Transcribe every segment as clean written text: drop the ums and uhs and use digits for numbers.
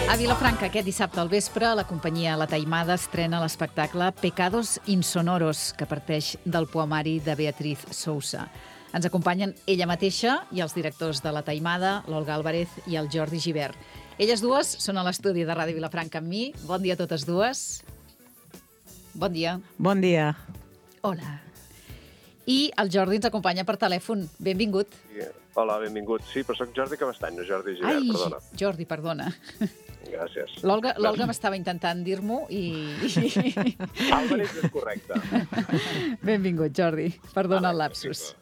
A Vilafranca, aquest dissabte al vespre, la companyia La Taimada estrena l'espectacle Pecados Insonoros, que parteix del poemari de Beatriz Sousa. Ens acompanyen ella mateixa i els directors de La Taimada, l'Olga Álvarez i el Jordi Gibert. Elles dues són a l'estudi de Ràdio Vilafranca amb mi. Bon dia a totes dues. Bon dia. Bon dia. Hola. I el Jordi ens acompanya per telèfon. Benvingut. Hola, benvingut. Sí, però soc Jordi Cabestany, no Jordi Gibert, perdona. Jordi, perdona. Gràcies. L'Olga m'estava intentant dir-m'ho i... Álvarez és correcte. Benvingut, Jordi. Perdona el lapsus.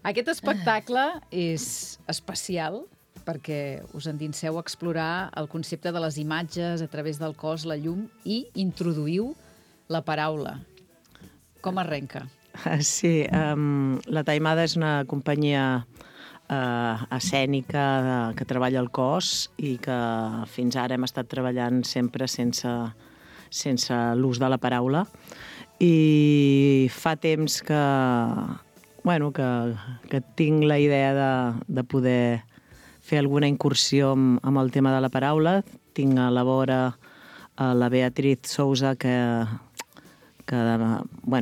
Aquest espectacle és especial perquè us endinseu a explorar el concepte de les imatges a través del cos, la llum, i introduïu la paraula. Com arrenca? Sí, La Taimada és una companyia escènica que treballa el cos i que fins ara hem estat treballant sempre sense l'ús de la paraula. I fa temps que tinc la idea de poder fer alguna incursió amb el tema de la paraula. Tinc a la vora la Beatriz Sousa, que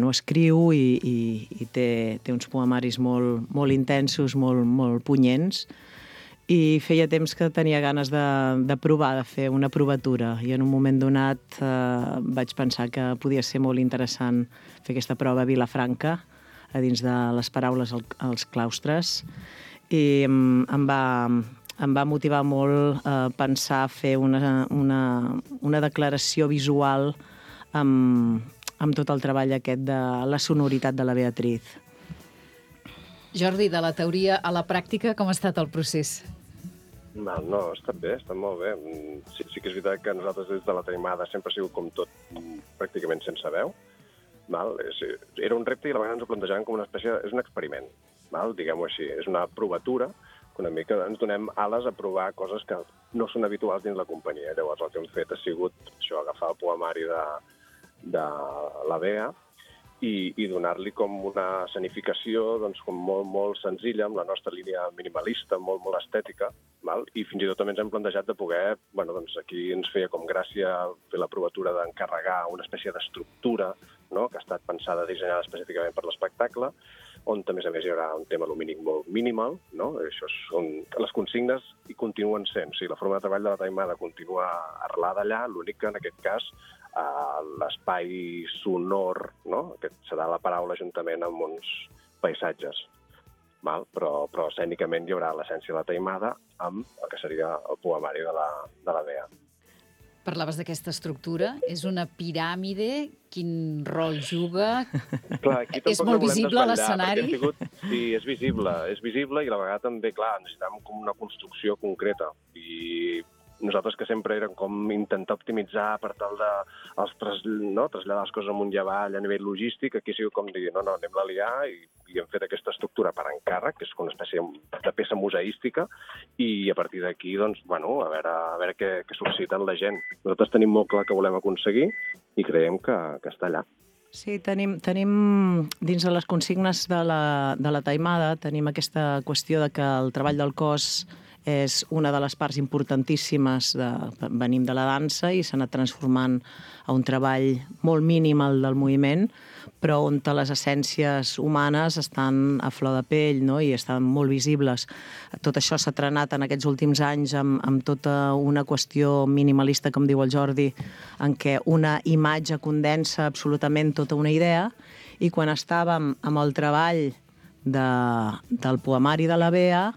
escriu i té uns poemaris molt intensos, molt punyents, i feia temps que tenia ganes de provar, de fer una provatura, i en un moment donat vaig pensar que podia ser molt interessant fer aquesta prova a Vilafranca, a dins de les paraules als claustres, i em va motivar molt pensar fer una declaració visual amb tot el treball aquest de la sonoritat de la Beatriz. Jordi, de la teoria a la pràctica, com ha estat el procés? No, ha estat bé, ha estat molt bé. Sí que és veritat que nosaltres des de La Taimada sempre ha sigut com tot pràcticament sense veu. Era un repte i a la vegada ens ho plantejàvem com una espècie... És un experiment, diguem-ho així. És una provatura, que una mica ens donem ales a provar coses que no són habituals dins la companyia. Llavors el que hem fet ha sigut això, agafar el poemari de la Bea i donar-li com una escenificació com molt senzilla, amb la nostra línia minimalista, molt estètica, i fins i tot també ens hem plantejat de poder, aquí ens feia com gràcia fer la provatura d'encarregar una espècie d'estructura, que ha estat pensada, dissenyada específicament per l'espectacle, on a més hi haurà un tema lumínic molt minimal, això són les consignes i continuen sent. La forma de treball de La Taimada continua arrelada allà, l'únic que en aquest cas l'espai sonor, aquest serà la paraula juntament amb uns paisatges, però escènicament hi haurà l'essència de La Taimada amb el que seria el poemari de la Bea. Parlaves d'aquesta estructura. És una piràmide? Quin rol juga? Clar, és molt visible a l'escenari? Sí, és visible i a la vegada també, necessitem com una construcció concreta. I nosaltres que sempre érem com intentar optimitzar per tal de traslladar les coses amunt i avall a nivell logístic, aquí ha sigut com dir, anem-la a liar i hem fet aquesta estructura per encàrrec, que és com una espècie de peça museística, i a partir d'aquí, a veure què sol·liciten la gent. Nosaltres tenim molt clar que volem aconseguir i creiem que està allà. Sí, tenim dins de les consignes de la Taimada, tenim aquesta qüestió de que el treball del cos és una de les parts importantíssimes. Venim de la dansa i s'ha anat transformant a un treball molt mínim del moviment, però on les essències humanes estan a flor de pell i estan molt visibles. Tot això s'ha trenat en aquests últims anys amb tota una qüestió minimalista, com diu el Jordi, en què una imatge condensa absolutament tota una idea, i quan estàvem amb el treball del poemari de la Bea,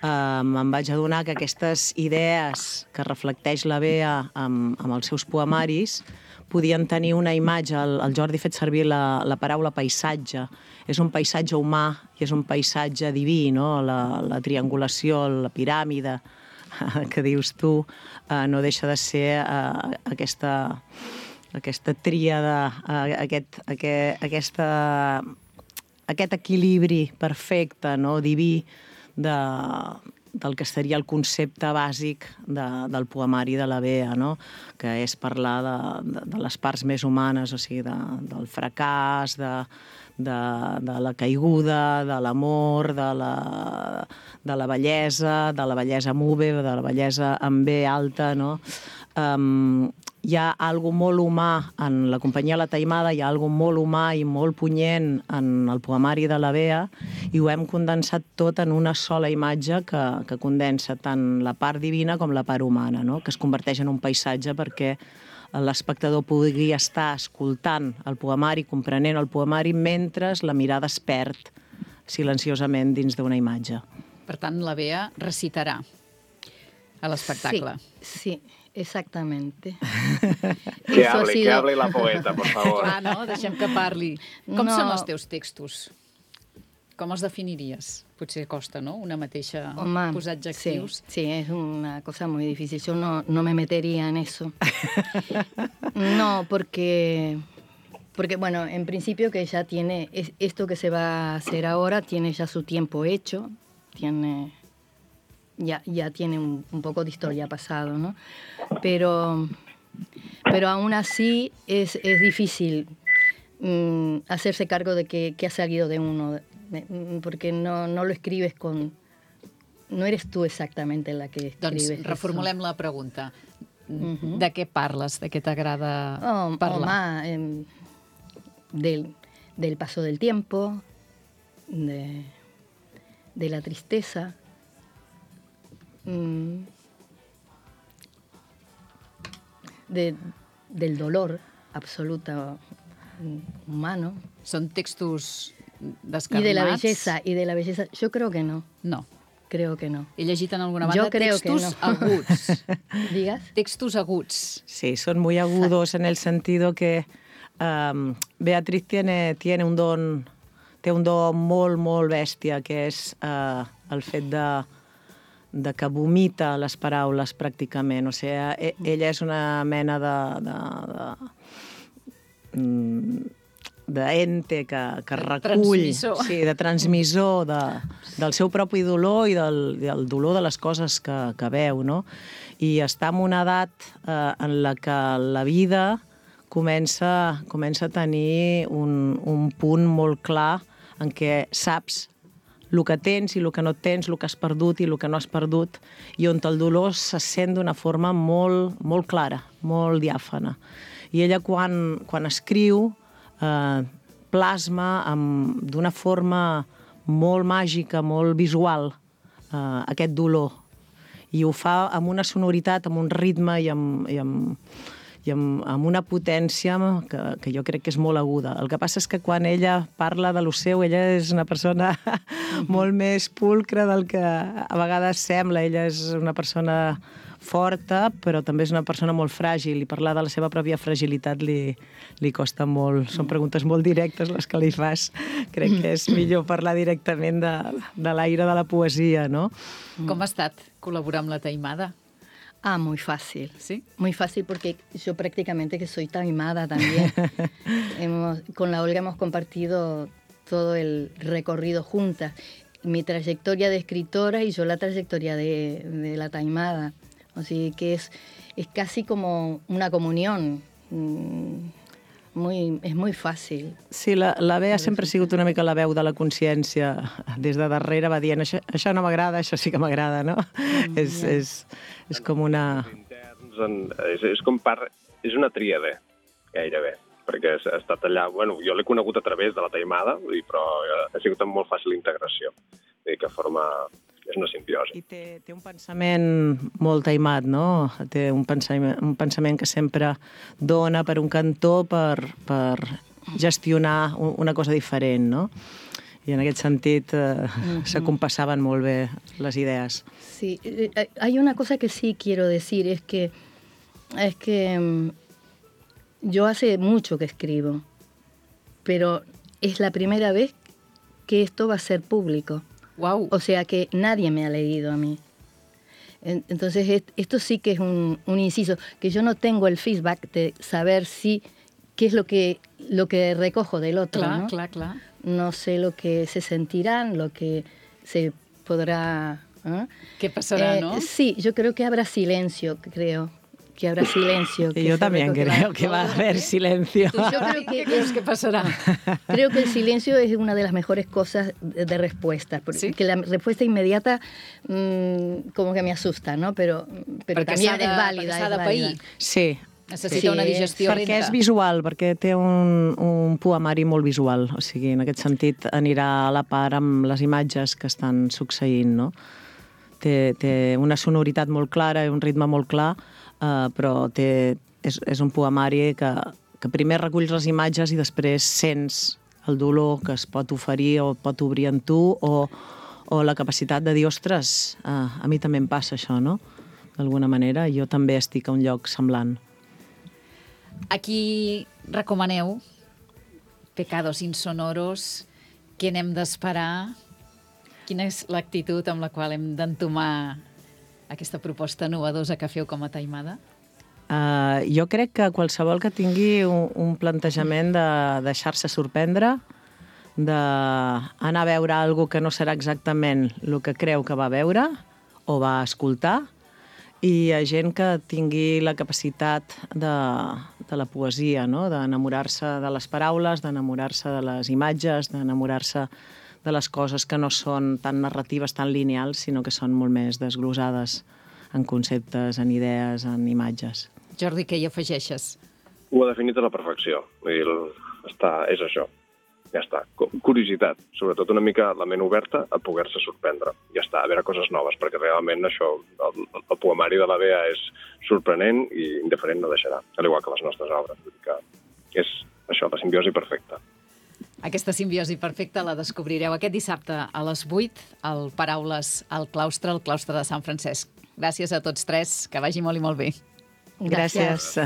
em vaig adonar que aquestes idees que reflecteix la Bea amb els seus poemaris podien tenir una imatge. El Jordi ha fet servir la paraula paisatge. És un paisatge humà i és un paisatge diví, la triangulació, la piràmide que dius tu, no deixa de ser aquesta tríada, aquest equilibri perfecte, diví, del que seria el concepte bàsic del poemari de la Bea, no? Que és parlar de les parts més humanes, o sigui, del fracàs, de la caiguda, de l'amor, de la bellesa move, de la bellesa amb B alta, no? Hi ha algo molt humà en la companyia La Taimada, hi ha algo molt humà i molt punyent en el poemari de la Bea, i ho hem condensat tot en una sola imatge que condensa tant la part divina com la part humana, no? Que es converteix en un paisatge perquè l'espectador pugui estar escoltant el poemari, comprenent el poemari, mentre la mirada es perd silenciosament dins d'una imatge. Per tant, la Bea recitarà a l'espectacle. Sí, exactamente. Que hable la poeta, por favor. Clar, no? Deixem que parli. Com són els teus textos? Com els definiries? Potser costa, ¿no? Una mateixa posar adjectius. Sí, es una cosa muy difícil. Yo no me metería en eso. No, porque bueno, en principio que ya tiene, esto que se va a hacer ahora tiene ya su tiempo hecho, ya tiene un poco de historia pasado, ¿no? Pero aún así es difícil hacerse cargo de que ha salido de uno, porque no lo escribes no eres tú exactamente la que escribes. Doncs reformulem la pregunta. De què parles? De què t'agrada parlar? Del paso del tiempo, de la tristeza, del dolor absoluto humano. Són textos descarnats? Y de la belleza, yo creo que no. No. Creo que no. He llegit en alguna banda Yo creo textos que no. aguts. ¿Digas? Textos aguts. Sí, son muy agudos en el sentido que Beatriz tiene un don, té un don molt, molt bèstia, que és el fet de que vomita les paraules pràcticament. O sigui, ella és una mena d'ente que recull, de transmissor del seu propi dolor i del dolor de les coses que veu, no? I està en una edat en la que la vida comença a tenir un punt molt clar en què saps el que tens i el que no tens, el que has perdut i el que no has perdut, i on el dolor se sent d'una forma molt, molt clara, molt diàfana. I ella, quan escriu, plasma d'una forma molt màgica, molt visual, aquest dolor. I ho fa amb una sonoritat, amb un ritme i amb una potència que jo crec que és molt aguda. El que passa és que quan ella parla de lo seu, ella és una persona molt més pulcra del que a vegades sembla. Ella és una persona forta, però també és una persona molt fràgil, i parlar de la seva pròpia fragilitat li costa molt. Són preguntes molt directes les que li fas. Crec que és millor parlar directament de l'aire de la poesia, no? Com ha estat col·laborar amb La Taimada? Muy fácil. ¿Sí? Muy fácil porque yo prácticamente que soy taimada también. Con la Olga hemos compartido todo el recorrido juntas. Mi trayectoria de escritora y yo la trayectoria de La Taimada. Así que es casi como una comunión. És molt fàcil. Sí, la Bea sempre ha sigut una mica la veu de la consciència. Des de darrere va dient, això no m'agrada, això sí que m'agrada, no? És com una... És una tríade, gairebé, perquè ha estat allà... Bueno, jo l'he conegut a través de La Taimada, però ha sigut amb molt fàcil integració. Vull dir que forma... És una simbiosi. I té un pensament molt taimat, no? Té un pensament que sempre dona per un cantó per gestionar una cosa diferent, no? I en aquest sentit s'acompassaven molt bé les idees. Sí, hay una cosa que sí quiero decir, es que yo hace mucho que escribo, pero es la primera vez que esto va a ser público. Wow. O sea que nadie me ha leído a mí. Entonces esto sí que es un inciso, que yo no tengo el feedback de saber qué es lo que recojo del otro, Clar, ¿no? clar. No sé lo que se sentirán, lo que se podrá ¿Qué pasará, no? Sí, yo creo que habrá silencio, que habrá silencio. Yo también creo que va a haber silencio. Yo creo ¿Qué crees que pasará? Creo que el silencio es una de las mejores cosas de respuesta, porque ¿Sí? la respuesta inmediata como que me asusta, no? Pero también es válida. S'ha de pair. Sí. Necessita una digestió Perquè lenta. és visual, perquè té un poemari molt visual, o sigui, en aquest sentit anirà a la part amb les imatges que estan succeint, no? Té una sonoritat molt clara i un ritme molt clar, però és un poemari que primer reculls les imatges i després sents el dolor que es pot oferir o pot obrir en tu o la capacitat de dir, ostres, a mi també em passa això, no? D'alguna manera, jo també estic a un lloc semblant. A qui recomaneu Pecados insonoros? Què n'hem d'esperar? Quina és l'actitud amb la qual hem d'entomar aquesta proposta novedosa que feu com a Taimada? Jo crec que qualsevol que tingui un plantejament de deixar-se sorprendre, d'anar a veure alguna que no serà exactament el que creu que va veure o va escoltar, i hi ha gent que tingui la capacitat de la poesia, no? D'enamorar-se de les paraules, d'enamorar-se de les imatges, d'enamorar-se de les coses que no són tan narratives, tan lineals, sinó que són molt més desglosades en conceptes, en idees, en imatges. Jordi, què hi afegeixes? Ho ha definit a la perfecció. És això. Ja està. Curiositat. Sobretot una mica la ment oberta a poder-se sorprendre. Ja està, a veure coses noves, perquè realment això, el poemari de la Bea és sorprenent i indiferent no deixarà, al igual que les nostres obres. Vull dir que és això, la simbiosi perfecta. Aquesta simbiosi perfecta la descobrireu aquest dissabte a les 8 al Paraules al claustre, al claustre de Sant Francesc. Gràcies a tots tres, que vagi molt i molt bé. Gràcies.